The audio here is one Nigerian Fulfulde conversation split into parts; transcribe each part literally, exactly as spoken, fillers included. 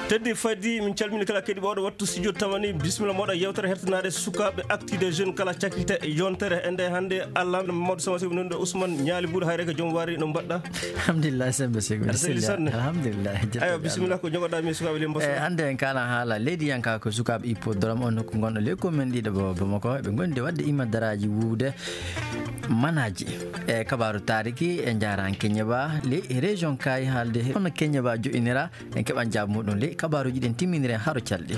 teddi fadi min calmini kala kedi bawɗo wattu studio tamani bismillah moɗo yewtere hertanade sukaɓe actu des jeunes kala cakkite yontere ende hande Allah Mamadou Samasi nonde Ousmane Ñaali Buur hayre ko joom wari no mbaɗɗa alhamdulillah sembe sego alhamdulillah ayo bismillah ko jogoɗa mi sukaɓe le mboso e hande en kala haala leydi yanka ko sukaɓe hippodrome on ko gonɗo le commune ɗiɗo bo Bamako ɓe gondi wadde imadaraji wuude manaji e kabaru tariki e jaran Keñeba le région kay haalde hono Keñeba joƴinira en keɓan jaabu muɗum le kabaruji ɗen timminire haro calɗi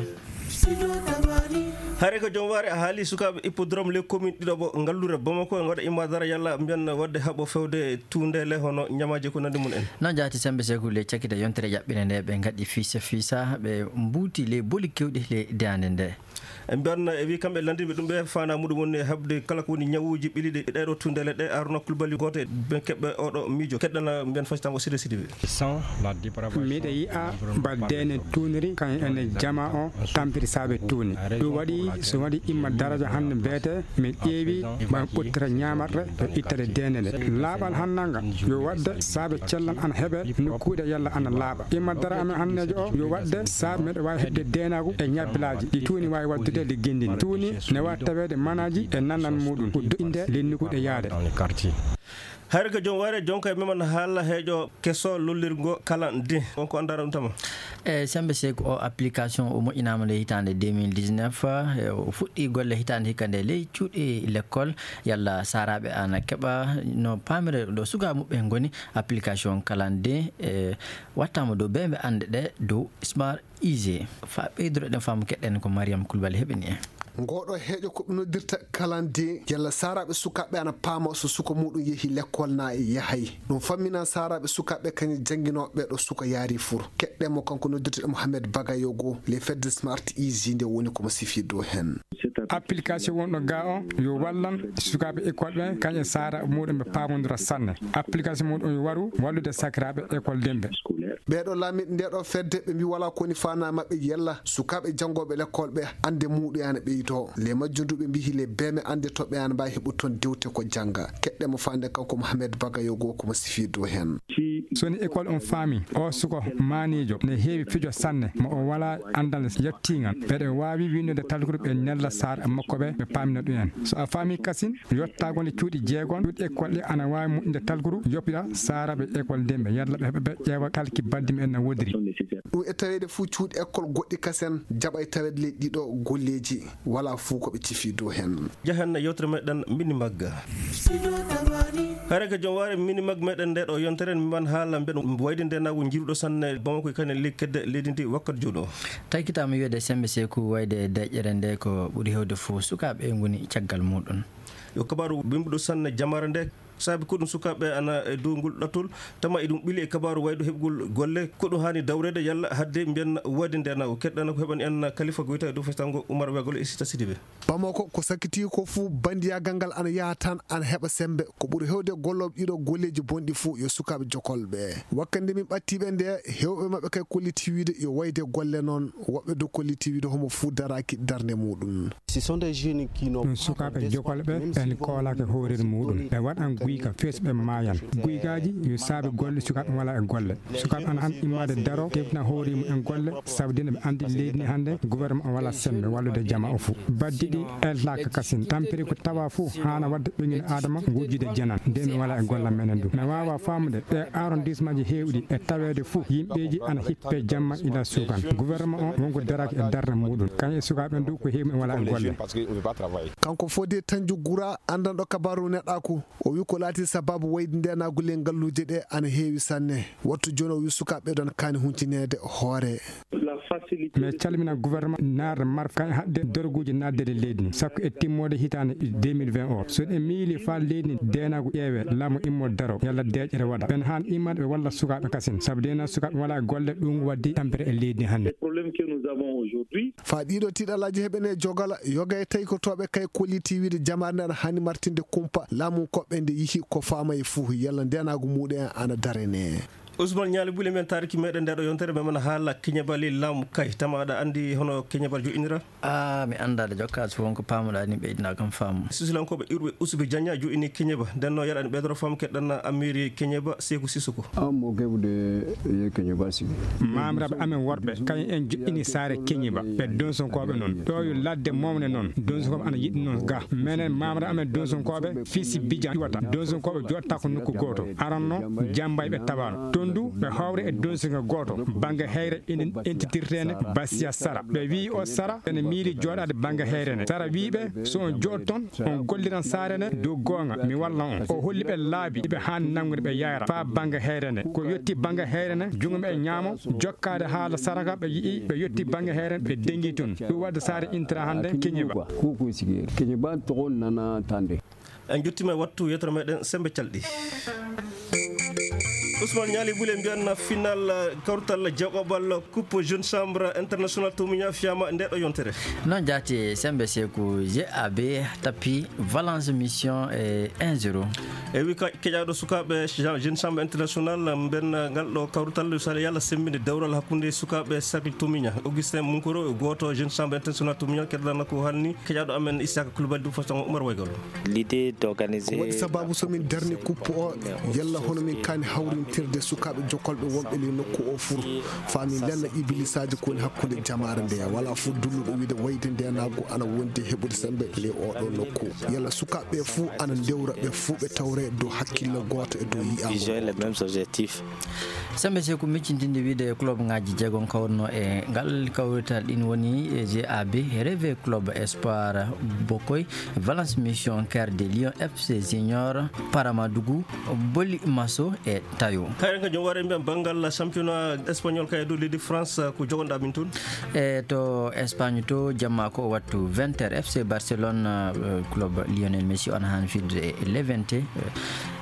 hare ko joom waari a haali sukaɓe hippodrome les commune ɗiɗo bo ngallure Bamako en waɗa imadara yalla mbiyan wadde haɓo fewde tundele hono ñamaji ko nandi mun en non jaati sembe sekou le cakkita yontere jaɓɓine nde ɓe gaɗi fiisa fiisa ɓe mbuuti le boli kewɗi le dande nde en mbiyan e wi kamɓe landinɓe ɗum ɓe fana muɗum woni habde kala ko woni ñawuji ɓiliɗe ɗeɗo tundele ɗe Arona Coulibaly goto ɓe keɓɓe oɗo miijo keɗɗana mbiyan facitango Sidi Sidi miɗa yiya baddene tuniri kan ene jama o tampiri saabe tuuni ɗum waɗi so waɗi imma daraja hande beete mi ƴeewi ɓan ɓottira ñamarɗe e ittade denede laaɓal hannanga yo wadde saabe cellan ana heeɓe nokkuɗe yalla ana laaɓa imma dara amen hannejo o yo wadde saabe meɗe wawi heɓde denagu e ñabbilaji ɗi tuuni wawi waddude de gendini tuuni ne wawi tawede manaji e nanan muɗum ko inde lennikuɗe yaade hayre ko joom waare jonka e meman haala heeƴo kesso lollirgo kala ndi wonko andara ɗum tama e sembe seko o application o moƴƴinama le hitande deux mille dix-neuf o fuɗɗi golle hitande hikka nde ley cuuɗi l'école yalla saraɓe ana keɓa no pamire ɗo suga muɓɓe goni application kala ndi e wattama dow ɓe ɓe ande ɗe dow smart easy fa ɓeydoro ɗen faamu keɗɗen ko Mariam Coulibaly heɓini en ngoɗo heeƴo ko noddirta kalande yalla saraɓe sukaɓe ana paama so suka muɗum yeehi l'école na e yahay ɗum fammina saraɓe sukaɓe kañum janguinoɓe ɗo suka yaari fur keɗɗemo kanko noddirta Mohamed Bagayogo les fedde smart easy nde woni komo sifi dow hen application wonɗo ga o yo wallan sukaɓe école ɓe kañƴe sara muɗum ɓe pamodira sanne application muɗum yo waru wallude sakiraɓe école demɓe ɓeɗo laamiɗe ndeɗo fedde ɓe mbi wala koni fana mabɓe yalla sukaɓe jangoɓe l'école ɓe ande muɗum yana ɓeydo le majjunduɓe mbi le beme ande toɓe yana mbawi heɓu toon dewte ko jangga keɗɗemo fande kanko Mohamed Bagayogo komo sifi dow hen soni école on faami o suko manijo ne heewi fijo sanne mo o wala andal yettigal ɓeɗe wawi windude talkude ɓe nella sar makko ɓe ɓe pamina ɗum en so a faami kasin yottagole cuuɗi jeegon cuuɗi école ɗe ana wawi moƴƴinde talkuru yoppira saraɓe école demɓe yalla ɓe heɓa ɓe ƴeewa kalki baddimi en no wodiri ɗum e tawede fuu cuuɗi école goɗɗi kasen jaɓa e tawede ley ɗiɗo golleji wala fuu koɓe cifi dow hen jahanna yewtere meɗen mini magga hare ko joom waari mini mag meɗen nde ɗo yontere mi man haala mbiɗa wayde ndenago jiruɗo sanne Bamako kane li kedde leydi ndi wakkati jooɗo taykitama wiyede sembe sekou wayde deƴƴere nde ko ɓuuri hewde fo sukaɓe goni caggal muɗum yo kabaru bimbuɗo sanne jamare nde saabi ko ɗum sukaɓe ana e dow ngol ɗattol tama eɗum ɓiili e kabaru waydo heɓgol golle ko ɗum hani dawrede yalla hadde mbiyen wadi ndenago keɗɗana ko heɓani en kalifa ko wiyete dow fastango Oumar Wegol e Sita Sidibé Bamako ko sakkiti ko fuu bandiyagal ngal ana yaha tan ana heɓa sembe ko ɓuuri hewde golloɓe ɗiɗo golleji bonɗi fuu yo sukaɓe jokolɓe wakkande min ɓattiɓe nde hewɓe mabɓe kay kolliti wiide yo wayde golle noon woɓɓe do kolliti wiide homo fuu daraki darde muɗum ɗum sukaɓe jokolɓe en koolake hoorere muɗum ɓe waɗan guyka fesɓe mayan guygaji yo saabi golle sukaɓe wala e golle sukaɓe ana han immade daro tefna hoorimo en golle sabdina ɓe andi leydi ni hande gouvernement wala sembe wallude jama o fou baddiɗi elnaka kasin tampiri ko tawa fou hana wadde ɓeŋine adama gujjude janan nde mi wala e gollam menen du mi wawa famude ɗe arrondissement ji hewɗi e tawede fou yimɓeji ana hippe jamma ila sukan gouvernement o wonko daraki e darde muɗum kañum e sukaɓe du ko heewi e wala e golle kanko Fodé Tandiou Goura andanɗo kabaru neɗɗaku o wi ko laati sababu wayde ndenagule ngalluje ɗe ana heewi sanne wattu joni o wi sukaɓe ɗon kaani huncinede hoore mi calmina gouvernement naarde marf kañ hadde dorguji naddede leydi ni sakko e timmode hitande deux mille vingt o so ɗe miili fa leydi ni denago ƴeewe laamu immo daro yalla deƴƴere waɗa ɓen han immade ɓe walla sukaɓe kasin saabu dena sukaɓe wala golle ɗum waddi tampere e leydi ni hannde fa ɗiɗo tiɗalaji heɓene jogala yoga e tawi ko toɓe kay kolliti wiide jamare nde ana hani martinde kumpa laamu koɓɓe nde yihi ko faama e fuu yalla ndenago muɗum ana darene Ousmane Ñaali Buli men tariki meɗen ndeɗo yontere memen haala keñebali laamu kay tama aɗa andi hono keñebal joƴinira? a mi anda de jokka so wonko pamuɗa ni ɓeydina kam faamu. sisulankoɓe iwɓe Usubi Diagna joƴini keñeba nden noon yaɗani ɓeydoro fam keɗɗan Amiri Keñeba Sékou Sissoko. mo keɓude ye keñeba sigi mamraɓe amen worɓe kañum en joƴini saare keñeba ɓe donsonkoɓe noon ɗo yo ladde momne noon donsonkoɓe ana yiɗi noon ga minen mamraɓe amen donsonkoɓe Fisi Bidian iwata donsonkoɓe joɗata ko nokku goto aranno jambay ɓe tabano tondu ɓe hawre e donsonko goto banggue heyre enen entitirtene Basia Sara ɓe wi o Sara ene miili joɗade banggue heyre ne Sara wiɓe so on jooɗ toon on golliran saare ne dow gonga mi walla on o holli ɓe laabi ɓe hanni nangude ɓe yayra fa banggue heyre ne ko yetti banggue heyre ne jungoɓe e ñaamo jokkade haala saraka ɓe yii ɓe yetti banggue heyre ɓe dengi toon ɗum wadde saare intira hande Keñeba kuku sigi Keñeba togon nana tande en jettima e wattu yettoro meɗen sembe calɗi. Ousmane Ñaali Buli mbiyanna final kawrutal jaɓoɓal coupe jeune chambre international tomiña fiyama ndeɗo yontere noon jaati sembe Sékou G A B tapi Valence mission e un zéro e wi keƴaɗo sukaɓe jeune chambre international mben ngal ɗo kawrutal so yalla sembinde dewral hakkude sukaɓe cercle tomiña Augustin Munkoro goto jeune chambre international tomiña keɗɗana ko halni keƴaɗo amen Issaka Coulibaly du façon Oumar Waygol l'idée d'organiser waɗi sababu somin darni coupe o yalla hono min kani hawrintirde sukaɓe jokkolɓe wonɓe li nokku o fur fami lenna ibilisaji koni hakkude jamare ndeya wala fo dulluɗo wiide wayde ndenago ana wondi heɓude sembe le oɗo nokku yalla sukaɓe fou ana dewra ɓe fou ɓe tawre dow hakkille goto e dow yiyama sembe Sékou miccintinde wiide club ngaji jeegon kawruno e ngal kawrital ɗin woni G A B Rêve Club Espoir Bokoy Valence Mission Cœur de Lion F C Junior Paramadougou Boli Masso e Tayo kayren ka jom ware mbiyan banggal championnat espagnol kay dow leydi France ko jogonɗa min toon e to Espagne to jamma ko wattu vingt heures F C Barcelone club Lionel Messi on han fidude e Levante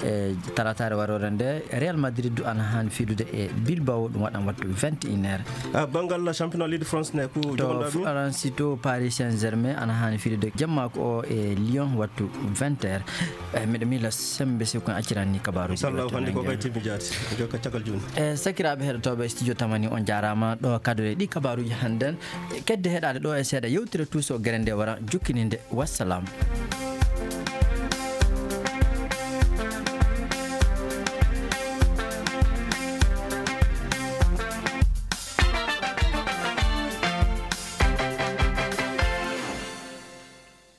e talatare warore nde Real Madrid ana han fidude e Bilbao ɗum waɗan wattu vingt et une heures a banggal championnat leydi France ne ko jogonɗa min France to Paris Saint-Germain ana han fidude jamma ko e Lyon wattu vingt heures e miɗo mila sembe Sékou acciranni kabaruji sallahu hande ko kay timi jaati jokka cakal joni e sakiraɓe heɗotoɓe studio tamani on jarama ɗo kadore ɗi kabaruji hannden kedde heɗade ɗo e seeɗa yewtire tuuso guere nde wara jukkininde wassalam.